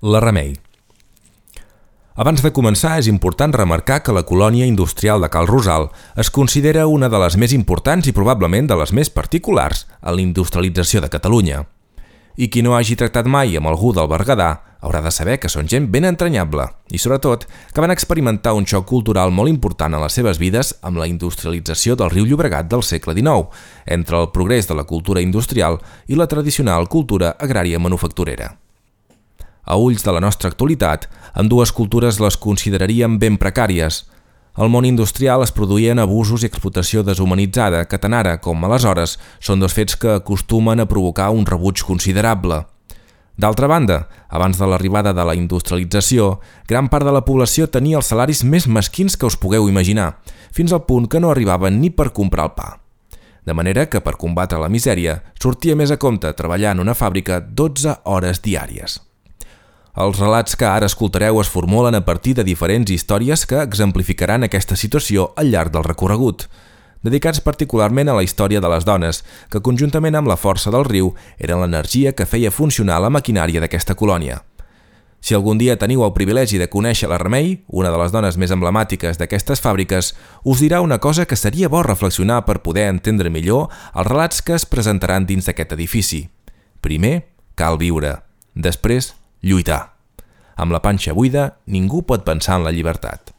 La Remei. Abans de començar, és important remarcar que la colònia industrial de Cal Rosal es considera una de les més importants i probablement de les més particulars en la industrialització de Catalunya. I qui no hagi tractat mai amb algú del Berguedà haurà de saber que són gent ben entranyable i, sobretot, que van experimentar un xoc cultural molt important en les seves vides amb la industrialització del riu Llobregat del segle XIX, entre el progrés de la cultura industrial i la tradicional cultura agrària manufacturera. A ulls de la nostra actualitat, ambdues cultures les consideraríem ben precàries. Al món industrial es produïen abusos i explotació deshumanitzada que tant ara com aleshores són dos fets que acostumen a provocar un rebuig considerable. D'altra banda, abans de l'arribada de la industrialització, gran part de la població tenia els salaris més mesquins que us pugueu imaginar, fins al punt que no arribaven ni per comprar el pa. De manera que per combatre la misèria sortia més a compte treballar en una fàbrica 12 hores diàries. Els relats que ara escoltareu es formulen a partir de diferents històries que exemplificaran aquesta situació al llarg del recorregut, dedicats particularment a la història de les dones, que conjuntament amb la força del riu eren l'energia que feia funcionar la maquinària d'aquesta colònia. Si algun dia teniu el privilegi de conèixer la Remei, una de les dones més emblemàtiques d'aquestes fàbriques, us dirà una cosa que seria bo reflexionar per poder entendre millor els relats que es presentaran dins d'aquest edifici. Primer, cal viure. Després, lluitar. Amb la panxa buida, ningú pot pensar en la llibertat.